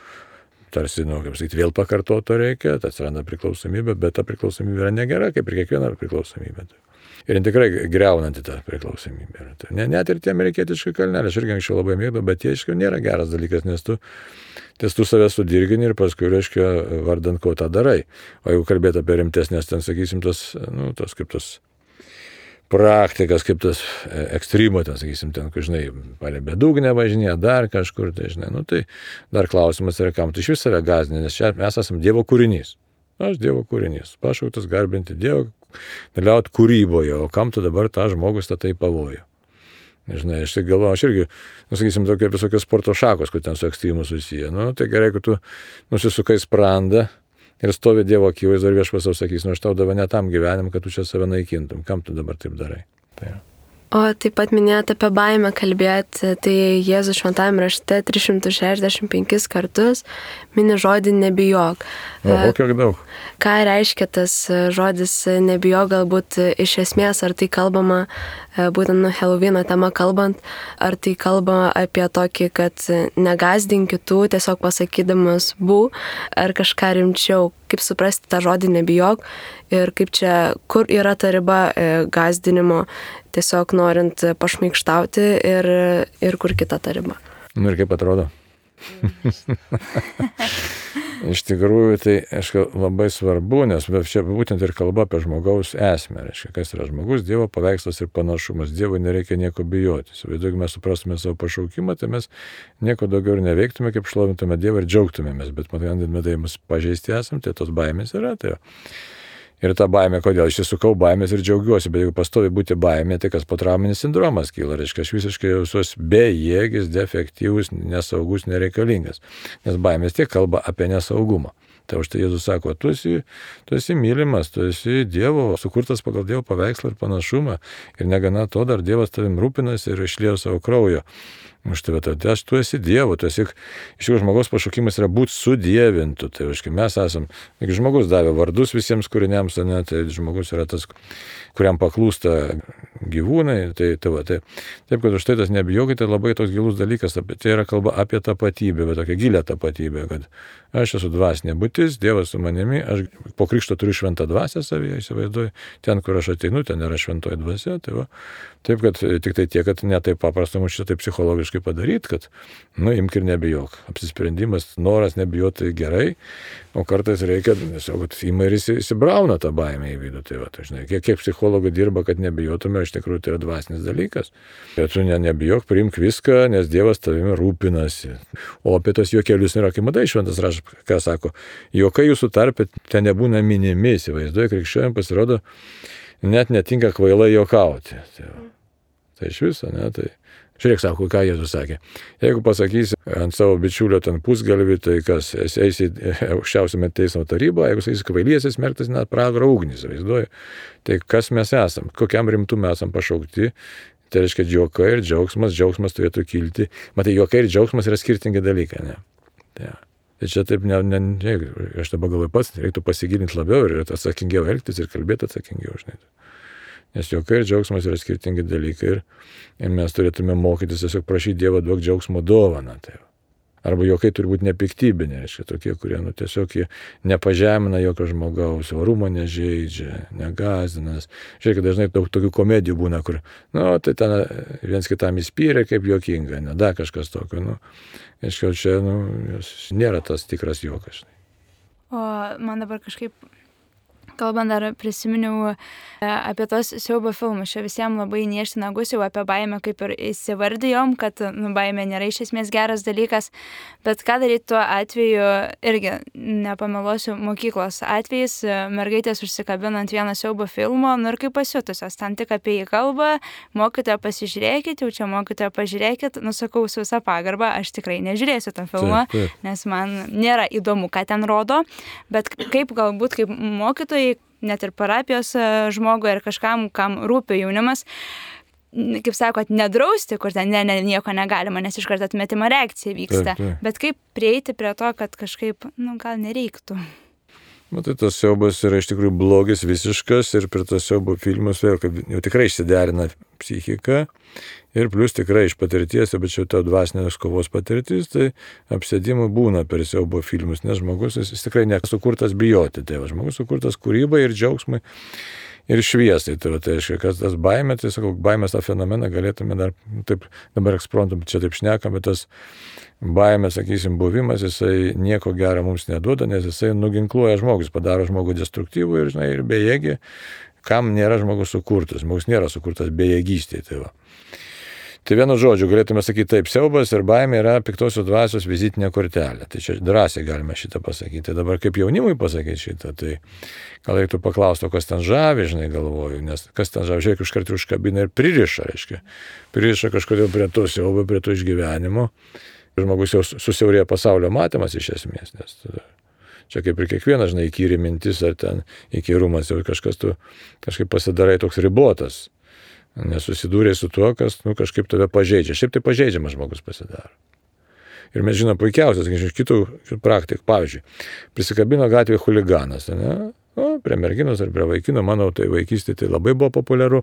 tarsi, kaip sakyti, vėl pakartoto reikia, tai atsiranda priklausomybė, bet ta priklausomybė yra negera, kaip ir kiekviena priklausomybė. Ir tikrai greunanti tą priklausomybę. Net ir tie amerikietiški kalneliai, aš irgi anksčiau labai mėgdavau, bet jie, aišku, nėra geras dalykas, nes tu save sudirgini ir paskui, reiškia, vardant, ko tą darai. O jeigu kalbėt apie rimtesnės, ten, sakysim, tos praktikas, kaip tas ekstremo, ten, sakysim, ten, kai, žinai, palei bedugnę važinėja, dar kažkur, tai, žinai, tai dar klausimas yra, kam tu iš vis save gąsdini, nes čia mes esame Dievo kūrinys. Aš Dievo kūrinys, pašauktas garbinti Dievą, dalyvauti kūryboje, o kam tu dabar tą žmogus statai pavojų. Žinai, aš tai galvoju, aš irgi, sakysim, tokie visokios sporto šakos, kur ten su ekstrymu susiję. Tai gerai, kad tu nusisukai sprandą ir stovi Dievo akivaizdoje ir viešpats tau sakys, aš tau davė ne tam gyvenim, kad tu čia save naikintum, kam tu dabar taip darai. Tai. O taip pat minėjote apie baimę kalbėti, tai Jėzus šventajame rašte 365 kartus mini žodį nebijok. O kiek daug? Ką reiškia tas žodis nebijok, galbūt iš esmės, ar tai kalbama, būtent Helovyno tema kalbant, ar tai kalbama apie tokį, kad negąsdink kitų, tiesiog pasakydamas bū, ar kažką rimčiau, kaip suprasti tą žodį nebijok ir kaip čia, kur yra ta riba gąsdinimo, tiesiog norint pašmaikštauti ir kur kita ta riba. Ir kaip atrodo? Iš tikrųjų, tai labai svarbu, nes čia būtent ir kalba apie žmogaus esmę. Reiškia, kas yra žmogus, Dievo paveikslas ir panašumas. Dievui nereikia nieko bijoti. Jeigu mes suprastume savo pašaukimą, tai mes nieko daugiau ir neveiktume, kaip šlovintume Dievą ir džiaugtumėmės. Bet matydami, tai mus pažeisti esam, tai tos baimės yra. Tai ir ta baimė, kodėl aš įsukau baimės ir džiaugiuosi, bet jeigu pastovi būti baimė, tai kas potrauminis sindromas kyla, reiškia, aš visiškai jausiuosi bejėgis, defektyvus, nesaugus, nereikalingas, nes baimės tiek kalba apie nesaugumą. Tai už tai Jėzus sako, tu esi mylimas, tu esi Dievo, sukurtas pagal Dievo paveikslą ir panašumą ir negana to, dar Dievas tavim rūpinasi ir išliejo savo kraujo. Už tave, tai tu esi Dievo, tu esi, iš tikrųjų žmogaus pašaukimas yra būti sudievintu, tai reiškia, mes esam, jeigu žmogus davė vardus visiems kūriniams, tai žmogus yra tas, kuriam paklūsta gyvūnai, taip, kad už tai tas nebijokite, labai toks gilus dalykas, tai yra kalba apie tapatybę, bet tokia gilią tapatybę, kad aš esu dvasinė būtis, Dievas su manimi, aš po krikšto turiu šventą dvasią savyje, įsivaizduoju, ten, kur aš ateinu, ten yra šventoji dvasia, taip, kad tik tai tiek, kad ne taip paprasta mums šitą psichologiškai padaryti, kad, imk ir nebijok. Apsisprendimas, noras nebijoti gerai, o kartais reikia, kad ima ir įsibrauna tą baimę į vidų. Tai žinai, kiek psichologų dirba, kad nebijotume, iš tikrųjų tai yra dvasinis dalykas. Bet tu nebijok, priimk viską, nes Dievas tavimi rūpinasi. O apie tos juokelius nėra, kai matai šventas raštas, ką sako, juokai jūsų tarpe ten nebūna minimi, įsivaizduoja, krikščioniam pasirodo, net netinka kvailai juokauti. Tai iš viso, ne, tai žiūrėk, sako, ką Jėzus sakė. Jeigu pasakysi ant savo bičiulio ten pusgalvį, tai kas, eisi aukščiausiame teismo tarybą, jeigu sakysi kvailys, smerktas net pragaro ugnį, vaizduoju. Tai kas mes esam, kokiam rimtumui esam pašaukti, tai reiškia juokai ir džiaugsmas turėtų kilti. Matai, juokai ir džiaugsmas yra skirtingi dalykai, ne? Tai čia taip, aš dabar galvoju pats, reiktų pasigilinti labiau ir atsakingiau elgtis ir kalbėti atsakingiau, žinai. Nes juokai ir džiaugsmas yra skirtingi dalykai ir mes turėtume mokytis tiesiog prašyti Dievo duok džiaugsmo dovaną. Tai. Arba juokai turi būti nepiktybiniai, reiškia tokie, kurie tiesiog nepažemina jokio žmogaus, orumo nežeidžia, negąsdina. Žiūrėk, dažnai daug tokių komedijų būna, kur, tai ten viens kitam įspyrė kaip juokinga, da kažkas tokio, reiškia, čia, nėra tas tikras juokas. O man dabar kažkaip Kalbant dar prisiminiau apie tos siaubo filmus. Čia visiems labai niežti nagus, jau apie baimę kaip ir įsivardijom, kad baimė nėra iš esmės geras dalykas. Bet ką daryti tuo atveju, irgi nepameluosiu, mokyklos atvejais, mergaitės užsikabina ant vieno siaubo filmo, ir kaip pasiutusios, ten tik apie jį kalba, mokytoja pasižiūrėkit, jau čia mokytoja pažiūrėkit, nusakau su visą pagarbą, aš tikrai nežiūrėsiu tą filmą, nes man nėra įdomu, ką ten rodo, bet kaip galbūt kaip mokytojai, net ir parapijos žmogui ar kažkam, kam rūpi jaunimas, kaip sakot, nedrausti, kur ten nieko negalima, nes iš karto atmetimo reakcija vyksta. Bet kaip prieiti prie to, kad kažkaip, gal nereiktų. Matai, tas siaubas yra iš tikrųjų blogis visiškas ir prie tas siaubo filmus vėl, kad jau tikrai išsiderina psichika ir plus tikrai iš patirties, bet čia ta dvasinės kovos patirtis, tai apsėdimų būna per siaubo filmus, nes žmogus jis tikrai nesukurtas bijoti, tai žmogus sukurtas kūrybai ir džiaugsmai ir šviesai. Tai reiškia, kad tas baimė, tai sakau, baimės tą fenomeną galėtume dar, taip dabar eksprontum, čia taip šnekam, bet tas baimės, sakysim, buvimas, jisai nieko gero mums neduoda, nes jisai nuginkluoja žmogus, padaro žmogų destruktyvų ir, ir bejėgį, kam nėra žmogus sukurtas. Žmogus nėra sukurtas bejėgystėje. Tai vienu žodžiu galėtume sakyti taip, siaubas ir baimė yra piktosios dvasios vizitinė kortelė. Tai čia drąsiai galime šitą pasakyti. Tai dabar kaip jaunimui pasakyti šitą, tai gal reiktų paklausti, kas ten žavi, galvoju, nes kas ten žavi, žiūrėk, iškart užkabina ir pririša, reiškia. Pririša kažkodėl prie to siaubo, prie to išgyvenimo. Žmogus jau susiaurėja pasaulio matymas iš esmės, nes čia kaip ir kiekvienas, įkyri mintis ar ten įkyrumas, jau kažkas tu kažkaip pasidarai toks ribotas. Nesusidūrė su tuo, kas kažkaip tave pažeidžia. Šiaip tai pažeidžiamas žmogus pasidaro. Ir mes žinom puikiausias, iš kitų praktikų. Pavyzdžiui, prisikabino gatvėje huliganas, prie merginos ar prie vaikino, manau, tai vaikystėje tai labai buvo populiaru,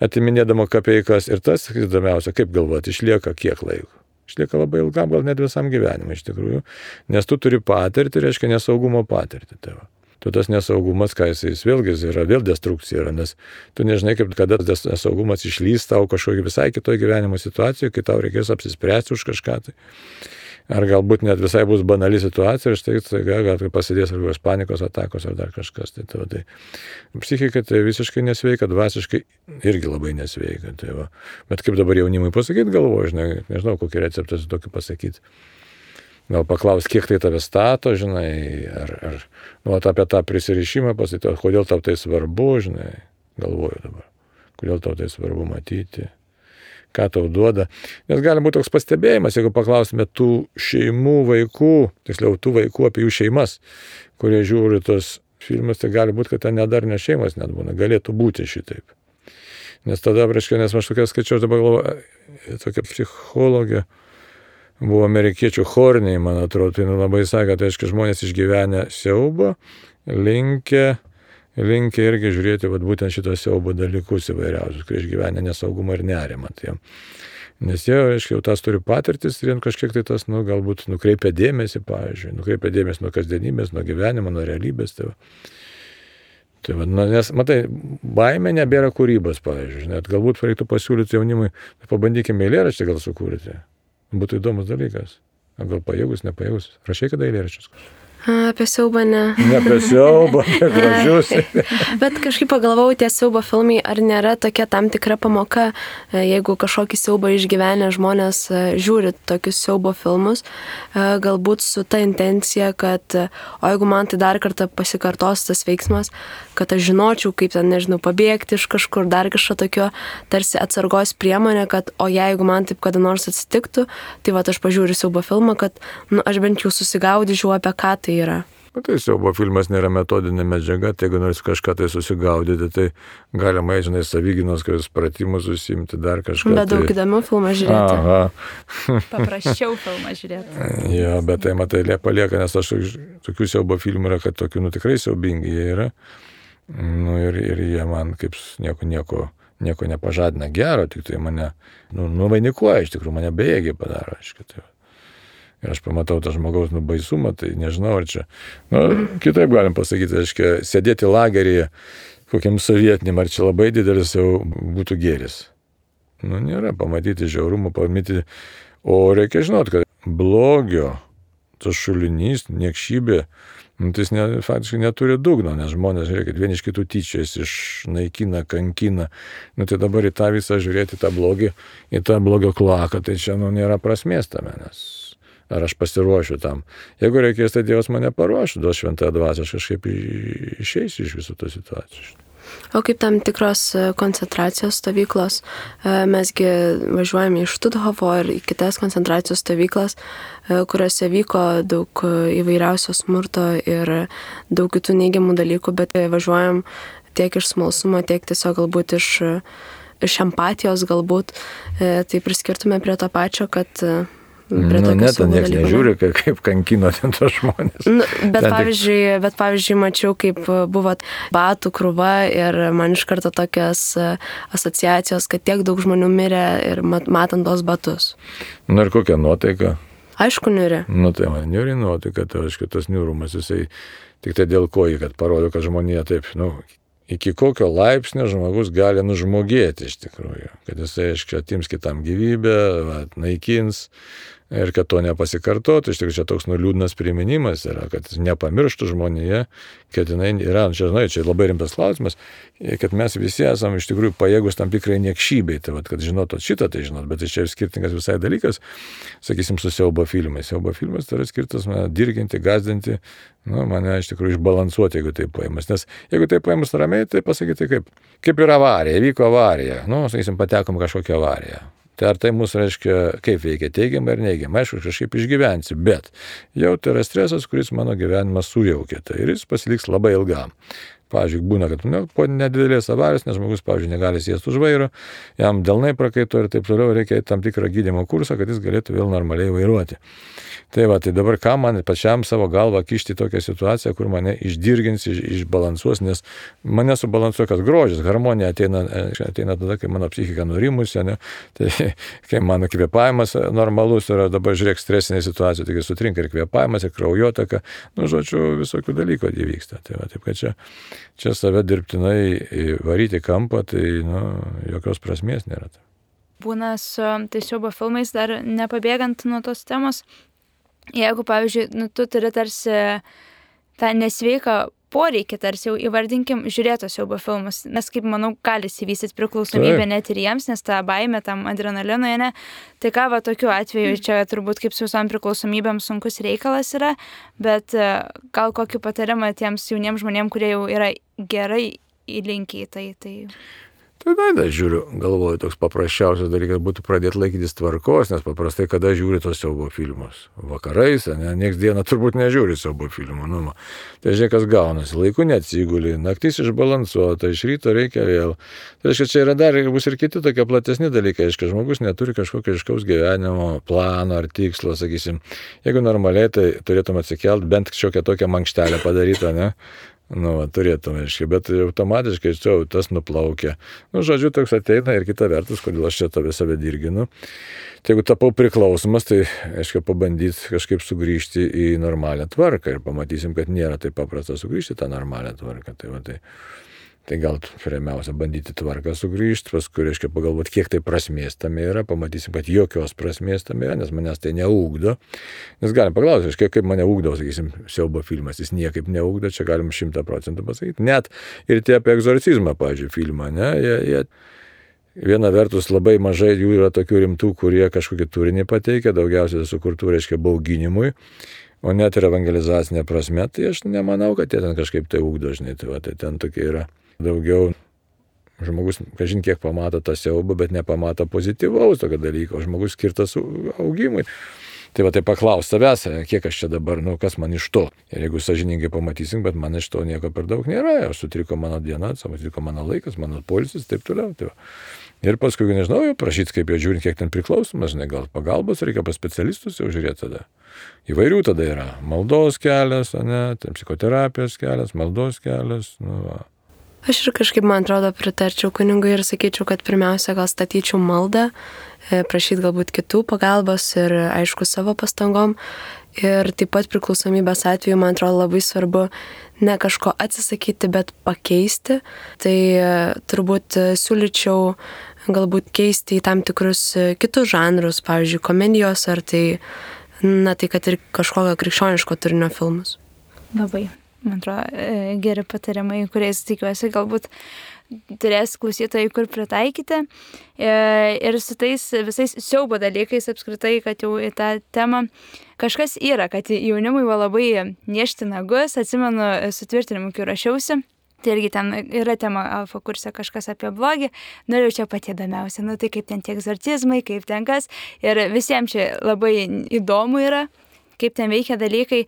atiminėdama kapeikas. Ir tas, įdomiausia, kaip galvoti, išlieka kiek laiko. Išlieka labai ilgam, gal net visam gyvenimui iš tikrųjų, nes tu turi patirtį, reiškia nesaugumo patirtį. Tu tas nesaugumas, ką jis vėlgi yra, vėl destrukcija yra, nes tu nežinai, kada tas nesaugumas išlys tau kažkokį visai kitoje gyvenimo situacijoje, kai tau reikės apsispręsti už kažką. Tai. Ar galbūt net visai bus banali situacija ir štai gal pasidės ar panikos atakos ar dar kažkas. Tai psichika tai visiškai nesveika, dvasiškai irgi labai nesveika. Bet kaip dabar jaunimui pasakyti, galvoju, nežinau, kokį receptą su tokiu pasakyti. Gal paklaus, kiek tai tave stato, ar apie tą prisirišimą pasakyti, kodėl tau tai svarbu, galvoju dabar, kodėl tau tai svarbu matyti, ką tau duoda. Nes gali būti toks pastebėjimas, jeigu paklausime tų šeimų vaikų, tiksliau tų vaikų apie jų šeimas, kurie žiūri tos filmus, tai gali būti, kad ten nedarnės šeimas net būna, galėtų būti šitaip. Nes tada, nes aš tokia skaičiau, dabar galvoju, tokia psichologė, buvo amerikiečių Horniai, man atrodo, tai labai sakė, tai aiškiai žmonės išgyvenę siaubą, linkę irgi žiūrėti būtent šitos siaubo dalykus įvairiausius, kai išgyvenę nesaugumą ir nerimą. Nes jie, aiškiai, jau tas turi patirtis ir kažkiek tai tas, galbūt nukreipia dėmesį, pavyzdžiui, nukreipia dėmesį nuo kasdienybės, nuo gyvenimo, nuo realybės. Nes, matai, baimė nebėra kūrybos, pavyzdžiui, net galbūt reiktų pasiūlyti jaunimui, pabandykime eilėraštį gal sukurti. Būtų įdomus dalykas. Gal pajėgus, nepajėgus. Rašai kada eilėraščius? Apie siaubą ne. Ne apie siaubą, apie gražius. Bet kažkaip pagalvojau, tie siaubo filmai, ar nėra tokia tam tikra pamoka, jeigu kažkokį siaubą išgyvenę žmonės žiūri tokius siaubo filmus, galbūt su ta intencija, kad o jeigu man tai dar kartą pasikartos tas veiksmas, kad aš žinočiau, kaip ten, pabėgti iš kažkur, dar kažko tokio tarsi atsargos priemonė, kad o jeigu man taip kada nors atsitiktų, tai aš pažiūriu siaubo filmą, kad aš bent jau susigaudyčiau, apie ką tai yra. Tai siaubo filmas nėra metodinė medžiaga, tai jeigu nors kažką tai susigaudyti, tai galima, savyginos pratimus užsiimti, dar kažką. Bet daug įdomių filmą žiūrėti. Aha. Paprasčiau filmą žiūrėti. Jo, bet tai matai, palieka, nes aš tokių siaubo filmų yra, kad tokių tikrai siaubingi jie yra. Ir jie man kaip nieko nepažadina gero, tik tai mane nuvainikuoja, iš tikrųjų mane bejėgį padaro, aiškiai. Ir aš pamatau tą žmogaus baisumą, tai nežinau, ar čia, kitaip galim pasakyti, aiškiai, sėdėti lageryje kokiam sovietiniam, ar čia labai didelis jau būtų gėris. Nėra, pamatyti žiaurumą, pamatyti, o reikia žinot, kad blogio tas šulinys, niekšybė, tai jis faktiškai neturi dugno, nes žmonės, žiūrėkit, vieni iš kitų tyčiais, išnaikina, kankina. Tai dabar į tą visą žiūrėti, tą blogį, į tą blogio kloaką, tai čia nėra prasmės tame, nes ar aš pasiruošiu tam. Jeigu reikės, tai Dievas mane paruoš, duos šventąją dvasią, aš kažkaip išeisiu iš visų tų situacijų. O kaip tam tikros koncentracijos stovyklos, mesgi važiuojame iš Štuthofo ir į kitas koncentracijos stovyklas, kuriuose vyko daug įvairiausio smurto ir daug kitų neigiamų dalykų, bet važiuojam tiek iš smalsumo, tiek tiesiog galbūt iš empatijos galbūt, tai priskirtume prie to pačio, kad Net niekas nežiūri, kaip kankino ten tos žmonės. Bet pavyzdžiui, mačiau, kaip buvo batų krūva ir man iš karto tokios asociacijos, kad tiek daug žmonių mirė ir matant tos batus. Ir kokia nuotaika? Aišku, niuri. Tai man niuri nuotaika, tai aišku, tas niurumas, jisai tik tai dėl ko, kad parodo, kad žmonija taip, iki kokio laipsnio žmogus gali nužmogėti iš tikrųjų, kad jisai, aišku, atims kitam gyvybę, naikins. Ir kad to nepasikartotų, iš tikrųjų čia toks liūdnas priminimas yra, kad nepamirštų žmonėje, kad jinai yra, čia labai rimtas klausimas, kad mes visi esame iš tikrųjų pajėgus tam tikrai niekšybei, tai kad žinotot šitą, tai žinot, bet čia skirtingas visai dalykas, sakysim, su siaubo filmais. Siaubo filmas tai yra skirtas mane dirginti, gazdinti, mane iš tikrųjų išbalansuoti, jeigu tai paimas. Nes jeigu tai paimas ramiai, tai pasakyti kaip yra avarija, vyko avarija, sakysim, patekom kažkokią avariją. Tai ar tai mūsų reiškia, kaip veikia teigiamai ar neigiamai, aišku, kažkaip išgyvensi, bet jau tai yra stresas, kuris mano gyvenimą sujaukė, tai ir jis pasiliks labai ilgam. Pavyzdžiui, būna, kad po nedidelės avarijos, nes žmogus, pavyzdžiui, negali sėsti už vairo, jam delnai prakaito ir taip toliau, reikia tam tikrą gydymo kursą, kad jis galėtų vėl normaliai vairuoti. Tai dabar ką man pačiam savo galvą kišti tokią situaciją, kur mane išdirgins, išbalansuos, nes mane subalansuoja, kad grožis, harmonija ateina tada, kai mano psichika nurimusi, tai kai mano kvėpavimas normalus yra, dabar žiūrėk stresinė situacija, taigi sutrinka ir kvėpavimas, ir kraujotaka, žodžiu, visokių dalykų įvyksta. Tai taip, kad čia save dirbtinai varyti kampą, tai jokios prasmės nėra. Būna su siaubo filmais, dar nepabėgant nuo tos temos, jeigu, pavyzdžiui, tu turi tarsi tą nesveiką poreikį, tarsi jau įvardinkim, žiūrėti siaubo filmus, nes kaip manau, gali įsivystyti priklausomybė net ir jiems, nes ta baimė tam adrenalinui, tai ką tokiu atveju, čia turbūt kaip su visom priklausomybėm sunkus reikalas yra, bet gal kokį patarimą tiems jauniems žmonėms, kurie jau yra gerai įlinkę į tai. Tai žiūriu, galvoju, toks paprasčiausias dalykas būtų pradėti laikytis tvarkos, nes paprastai kada žiūri tos siaubo filmus? Vakarais, nieks dieną turbūt nežiūri siaubo filmų. Tai žiūrėk, kas gaunasi, laiku neatsiguli, naktis išbalansuota, iš ryto reikia vėl. Tai reiškia, čia yra dar bus ir kiti tokie platesni dalykai, aiškiai, žmogus neturi kažkokio aiškaus gyvenimo plano ar tikslo, sakysim. Jeigu normaliai, tai turėtum atsikelt, bent kažkokią tokią mankštelę padarytą, turėtum, aiškiai, bet automatiškai tas nuplaukia. Žodžiu, toks ateina ir kita vertus, kodėl aš čia save dirginu. Tai jeigu tapau priklausomas, tai, aiškiai, pabandyti kažkaip sugrįžti į normalią tvarką ir pamatysim, kad nėra taip paprasta sugrįžti tą normalią tvarką. Tai gal pirmiausia bandyti tvarką sugrįžti, paskui, reiškia, pagalvoti, kiek tai prasmės tame yra, pamatysim, kad jokios prasmės tame yra, nes manęs tai neugdo. Nes galim paklausti, reiškia, kaip mane ugdo, sakysim, siaubo filmas, jis niekaip neugdo, čia galim 100% pasakyti. Net ir tie apie egzorcizmą, pavyzdžiui, filmą, jie viena vertus labai mažai jų yra tokių rimtų, kurie kažkokį turinį pateikia, daugiausiai sukurtų, reiškia, bauginimui. O net ir evangelizacinė prasme, tai aš nemanau, kad jie ten kažkaip tai ugdo, žinai, tai ten tokie yra. Daugiau žmogus, kažin kiek pamato tą siaubą, bet nepamato pozityvaus tokio dalyko, žmogus skirtas augimui. Tai paklaus savęs, kiek aš čia dabar, kas man iš to. Ir jeigu sąžiningai pamatysim, bet man iš to nieko per daug nėra, sutriko mano diena, sutriko mano laikas, mano poilsis, taip toliau. Ir paskui, nežinau, prašyti, kaip jie žiūrint, kiek ten priklausomas, gal pagalbos, reikia pas specialistus jau žiūrėti tada. Įvairių tada yra maldos kelias, psichoterapijos kelias, maldos kelias, Aš ir kažkaip, man atrodo, pritarčiau kunigui ir sakyčiau, kad pirmiausia gal statyčiau maldą, prašyti galbūt kitų pagalbos ir, aišku, savo pastangom. Ir taip pat priklausomybės atveju, man atrodo, labai svarbu ne kažko atsisakyti, bet pakeisti. Tai turbūt siūlyčiau galbūt keisti į tam tikrus kitus žanrus, pavyzdžiui, komedijos ar tai na tai kad ir kažkokio krikščioniško turinio filmus. Labai, man atrodo, geri patarimai, kuriais tikiuosi galbūt turės klausytojai, kur pritaikyti. Ir su tais visais siaubo dalykais apskritai, kad jau į tą temą kažkas yra, kad jaunimui buvo labai niešti nagus, atsimenu sutvirtinimu, kai rašiausi. Tai irgi ten yra tema alfa kurse kažkas apie blogį, ir čia pati įdomiausia, tai kaip ten tie egzorcizmai, kaip ten kas, ir visiems čia labai įdomu yra, kaip ten veikia dalykai.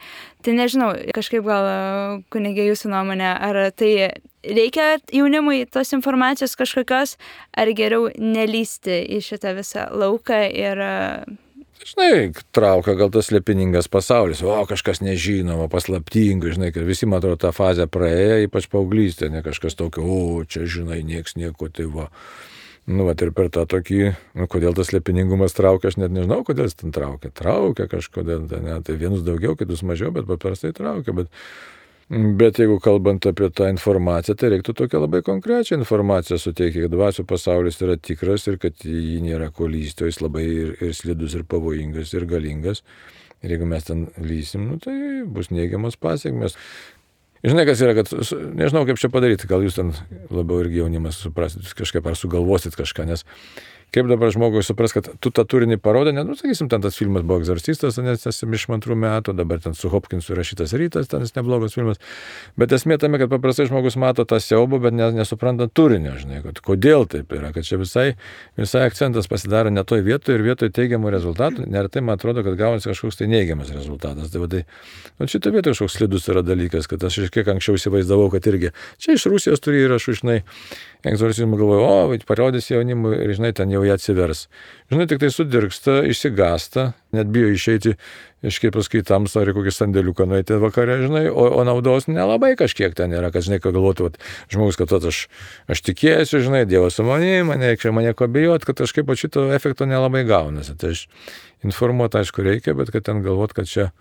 Tai nežinau, kažkaip gal kunigė jūsų nuomonė, ar tai reikia jaunimui tos informacijos kažkokios, ar geriau nelysti į šitą visą lauką ir... Žinai, traukia gal tas slėpiningas pasaulis, kažkas nežinoma, paslaptinga, žinai, kad visi, man atrodo, tą fazę praėjo, ypač paauglystė, ne kažkas tokio, čia, žinai, nieks nieko, tai va. Ir per tą tokį, kodėl tas slėpiningumas traukia, aš net nežinau, kodėl jis ten traukia. Traukia kažkodėl, tai vienus daugiau, kitus mažiau, bet paprastai traukia. Bet jeigu kalbant apie tą informaciją, tai reiktų tokią labai konkrečią informaciją suteikti, kad dvasių pasaulis yra tikras ir kad jį nėra ko lysti, o jis labai ir slidus, ir pavojingas, ir galingas. Ir jeigu mes ten lysim, tai bus neigiamas pasiekmes. Žinai, kas yra, kad nežinau, kaip čia padaryti, gal jūs ten labiau irgi jaunimas suprasit kažkaip, ar sugalvosit kažką, nes kaip dabar žmogui supras, kad tu tą turinį parodai, sakysim, ten tas filmas buvo Egzorcistas, nes esi iš 2 metų, dabar ten su Hopkinsu rašytas Rytas, ten neblogas filmas, bet esmė tame, kad paprastai žmogus mato tą siaubą, bet nesupranta turinio, žinai, kad kodėl taip yra, kad čia visai akcentas pasidaro ne toj vietoje ir vietoje teigiamų rezultatų, neretai man atrodo, kad gaunasi kažkoks tai neigiamas rezultatas. Tai šito vietoje kažkoks slidus yra dalykas, kad aš kiek anksčiau įsivaizdavau, kad irgi čia iš Rusijos turi įrašų, žinai, egzorcizmų galvoju, parodys jaunimui ir, žinai, ten jau jie atsivers. Žinai, tik tai sudirgsta, išsigasta, net bijo išeiti, kažkaip paskui tamsą ar kokį sandėliuką nueiti vakare, žinai, o naudos nelabai kažkiek ten yra, kad, žinai, ką galvotų, žmogus, kad aš tikėsiu, žinai, Dievas su manimi, mane ko bijot, kad kažkaip šito efekto nelabai gaunasi. Tai aš informuoti, aišku, reikia, bet kad ten galvot, kad čia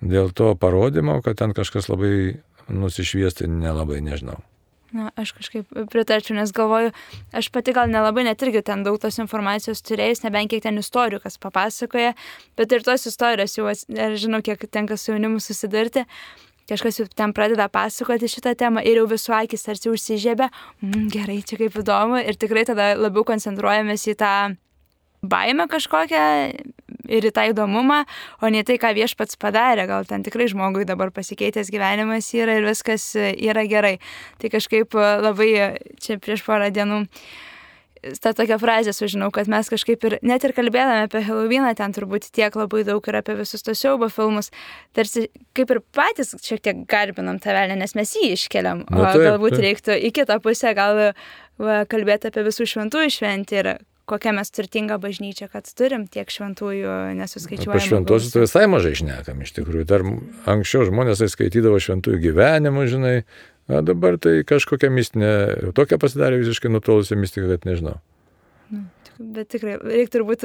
dėl to parodymo, kad ten kažkas labai nusišviesti, nelabai nežinau. Aš kažkaip pritarčiau, nes galvoju, aš pati gal nelabai net irgi ten daug tos informacijos turėjus, nebent kiek ten istorijų kas papasakoja, bet ir tos istorijos jau, žinau, kiek tenka su jaunimu susidurti, kažkas jau ten pradeda pasakoti šitą temą ir jau visų akis tarsi užsižiebia, gerai, čia kaip įdomu, ir tikrai tada labiau koncentruojamės į tą baimę kažkokią ir į tą įdomumą, o ne tai, ką viešpats padarė. Gal ten tikrai žmogui dabar pasikeitęs gyvenimas yra ir viskas yra gerai. Tai kažkaip labai čia prieš porą dienų tą tokią frazę sužinau, kad mes kažkaip ir net ir kalbėdami apie Halloweeną, ten turbūt tiek labai daug yra apie visus tos siaubo filmus, tarsi kaip ir patys šiek tiek garbinam tą velnią, nes mes jį iškeliam, o galbūt reiktų į kitą pusę gal kalbėti apie visų šventųjų šventį ir kokia mes turtinga bažnyčia, kad turim tiek šventųjų nesuskaičiuojamų. Apie šventosius tai visai mažai šnekam iš tikrųjų. Dar anksčiau žmonės skaitydavo šventųjų gyvenimų, žinai, o dabar tai kažkokia mistinė, tokia pasidarė visiškai nutolusi mistika, kad nežinau. Bet tikrai reikia turbūt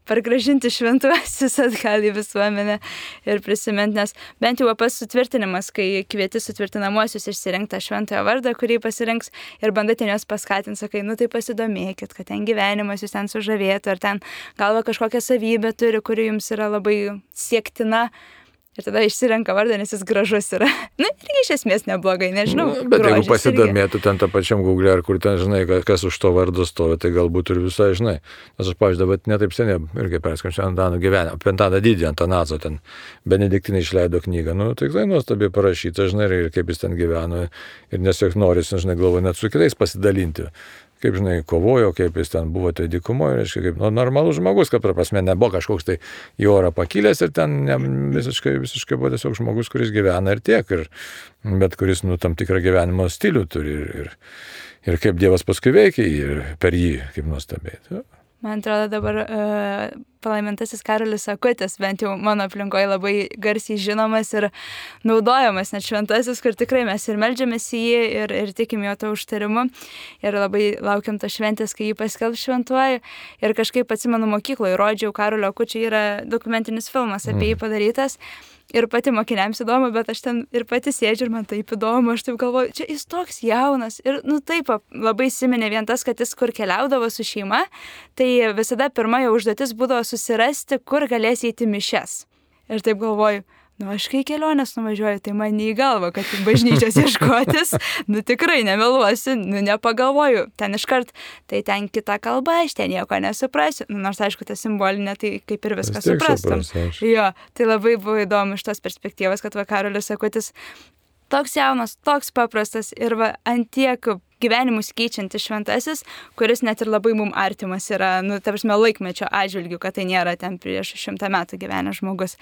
pargražinti šventuosius atgal į visuomenę ir prisiminti, nes bent jau pas sutvirtinimas, kai kvieti sutvirtinamuosius išsirinkti šventojo vardą, kurį pasirinks ir bandai ten juos paskatinti, sakai, tai pasidomėkit, kad ten gyvenimas jūs ten sužavėtų, ar ten galva kažkokią savybę turi, kuri jums yra labai siektina. Ir tada išsirenka vardą, nes jis gražus yra. Irgi iš esmės neblogai, nežinau. Bet jeigu pasidomėtų ten tą pačiam Google, ar kur ten, žinai, kas už to vardo stovi, tai galbūt ir visai, žinai. Nes aš, pavyzdžiui, dabar netaip seniai irgi perskaičiau Antano gyvenimą, apie Antaną Didį, Antanaco ten Benediktinai išleido knygą. Tikrai nuostabiai parašyta, žinai, ir kaip jis ten gyveno. Ir nesiek norisi, žinai, galvoju, net su kitais pasidalinti. Kaip, žinai, kovojo, kaip jis ten buvo tai dykumoje, reiškia, kaip normalus žmogus, kad prasme nebuvo kažkoks tai į orą pakilęs ir ten visiškai buvo tiesiog žmogus, kuris gyvena ir tiek, bet kuris, tam tikrą gyvenimo stilių turi ir kaip Dievas paskui veikia ir per jį, kaip nuostabiai. Man atrodo dabar palaimintasis Karolis Akutis, bent jau mano aplinkoje labai garsiai žinomas ir naudojamas net šventasis, kur tikrai mes ir meldžiamės į jį ir tikim jo to užtarimu. Ir labai laukiam to šventės, kai jį paskelbs šventuoju. Ir kažkaip atsimenu mokykloje, rodžiau Karolio Akučio, yra dokumentinis filmas apie jį padarytas. Ir pati mokiniams įdomu, bet aš ten ir pati sėdžiu ir man taip įdomu, aš taip galvoju, čia jis toks jaunas. Ir taip labai įsiminė vien tas, kad jis kur keliaudavo su šeima, tai visada pirma jo užduotis būdavo susirasti, kur galės eiti mišias. Ir taip galvoju, aš kai kelionės nuvažiuoju, tai man į galvą, kad bažnyčios ieškotis, tikrai nemeluosiu, nepagalvoju, ten iškart, tai ten kita kalba, aš ten nieko nesuprasiu, nors aišku, ta simbolinė, tai kaip ir viską suprastum. Jo, tai labai buvo įdomu iš tos perspektyvos, kad Karolis Akutis toks jaunas, toks paprastas ir ant tiek gyvenimus keičiantis šventasis, kuris net ir labai mums artimas yra, ta prasme, laikmečio atžvilgių, kad tai nėra ten prieš 100 metų gyvenęs žmogus.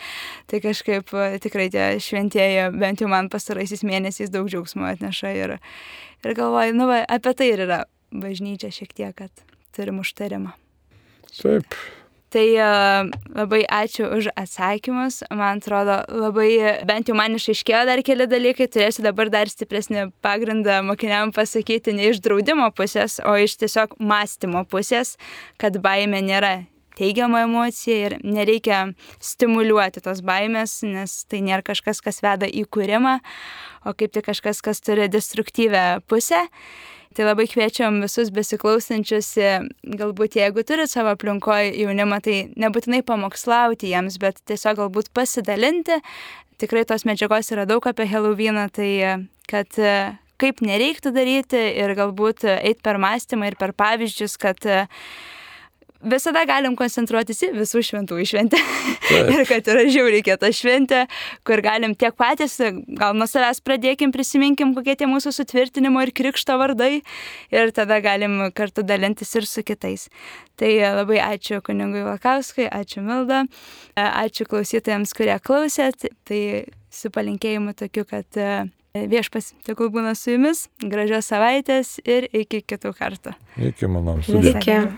Tai kažkaip tikrai tie šventieji, bent jau man pastaraisiais mėnesiais daug džiaugsmo atneša ir galvoju, apie tai ir yra bažnyčia šiek tiek, kad turim užtarimą. Taip. Tai labai ačiū už atsakymus. Man atrodo, labai, bent jau man išaiškėjo dar keli dalykai, turėsiu dabar dar stipresnį pagrindą mokiniam pasakyti ne iš draudimo pusės, o iš tiesiog mąstymo pusės, kad baimė nėra teigiama emocija ir nereikia stimuliuoti tos baimės, nes tai nėra kažkas, kas veda į kūrimą, o kaip tik kažkas, kas turi destruktyvę pusę. Tai labai kviečiam visus besiklausančius, galbūt jeigu turit savo aplinkoje jaunimą, tai nebūtinai pamokslauti jiems, bet tiesiog galbūt pasidalinti. Tikrai tos medžiagos yra daug apie Halloweeną, tai kad kaip nereiktų daryti ir galbūt eiti per mąstymą ir per pavyzdžius, kad visada galim koncentruotis į visų šventųjų šventę. Ir kad yra žiauriai kieta šventė, kur galim tiek patys, gal nuo savęs pradėkim, prisiminkim, kokie tie mūsų sutvirtinimo ir krikšto vardai. Ir tada galim kartu dalintis ir su kitais. Tai labai ačiū kunigui Valkauskui, ačiū Milda, ačiū klausytojams, kurie klausėt. Tai su palinkėjimu tokiu, kad viešpas tegul būna su jumis, gražios savaitės ir iki kitų kartų. Iki, manau, sudė.